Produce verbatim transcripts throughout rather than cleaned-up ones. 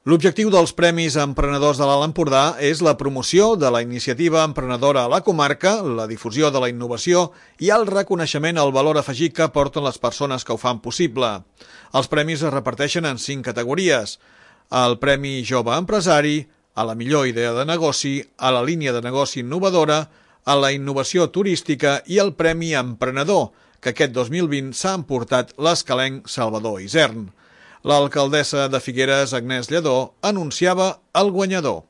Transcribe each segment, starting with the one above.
L'objectiu dels Premis Emprenedors de l'Alt Empordà és la promoció de la iniciativa emprenedora a la comarca, la difusió de la innovació i el reconeixement al valor afegit que aporten les persones que ho fan possible. Els premis es reparteixen en cinc categories: el Premi Jove Empresari, a la millor idea de negoci, a la línia de negoci innovadora, a la innovació turística i el Premi Emprenedor, que aquest dos mil vint s'ha emportat l'escalenc Salvador Isern. L'alcaldessa de Figueres, Agnès Lledó, anunciava el guanyador.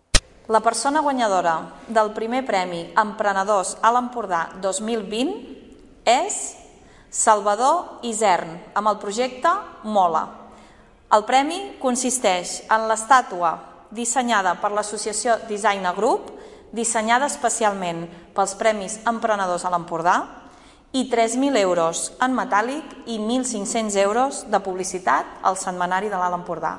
La persona guanyadora del primer Premi Emprenedors a l'Empordà dos mil vint és Salvador Isern, amb el projecte Mola. El premi consisteix en l'estàtua dissenyada per l'associació Designer Group, dissenyada especialment pels Premis Emprenedors a l'Empordà, i tres mil euros en metàl·lic i mil cinc-cents euros de publicitat al setmanari de l'Alt Empordà.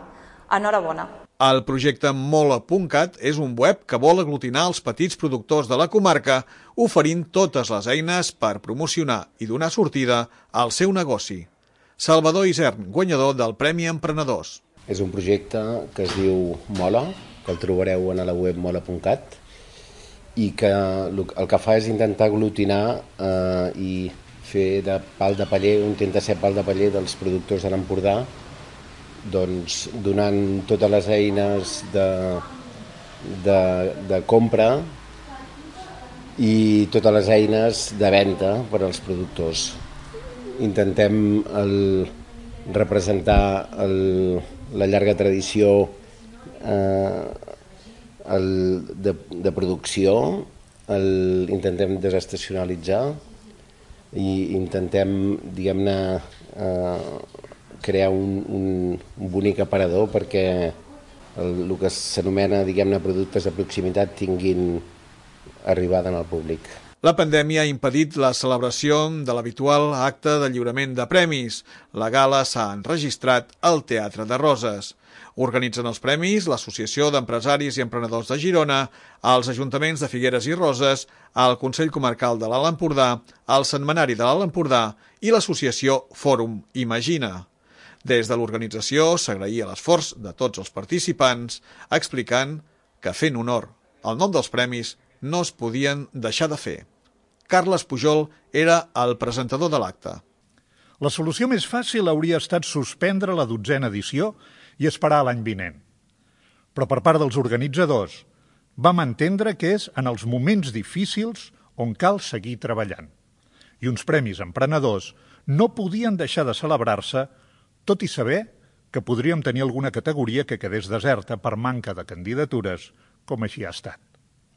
Enhorabona. El projecte Mola punt cat és un web que vol aglutinar els petits productors de la comarca, oferint totes les eines per promocionar i donar sortida al seu negoci. Salvador Isern, guanyador del Premi Emprenedors. És un projecte que es diu Mola, que el trobareu a la web mola punt cat, i que el que fa és intentar aglutinar eh, i fer de pal de paller, intenta ser pal de paller dels productors de l'Empordà, doncs donant totes les eines de, de, de compra i totes les eines de venda per als productors. Intentem el, representar el, la llarga tradició eh, El de, de producció, el, intentem desestacionalitzar i intentem, diguem-ne, eh, crear un, un, un bonic aparador perquè el, el que s'anomena, diguem-ne, productes de proximitat tinguin arribada en el públic. La pandèmia ha impedit la celebració de l'habitual acte de lliurament de premis. La gala s'ha enregistrat al Teatre de Roses. Organitzen els premis l'Associació d'Empresaris i Emprenedors de Girona, els ajuntaments de Figueres i Roses, el Consell Comarcal de l'Alt Empordà, el Setmanari de l'Alt Empordà i l'associació Fòrum Imagina. Des de l'organització s'agraïa l'esforç de tots els participants, explicant que fent honor al nom dels premis no es podien deixar de fer. Carles Pujol era el presentador de l'acte. La solució més fàcil hauria estat suspendre la dotzena edició i esperar l'any vinent. Però per part dels organitzadors vam entendre que és en els moments difícils on cal seguir treballant. I uns premis emprenedors no podien deixar de celebrar-se, tot i saber que podríem tenir alguna categoria que quedés deserta per manca de candidatures, com així ha estat.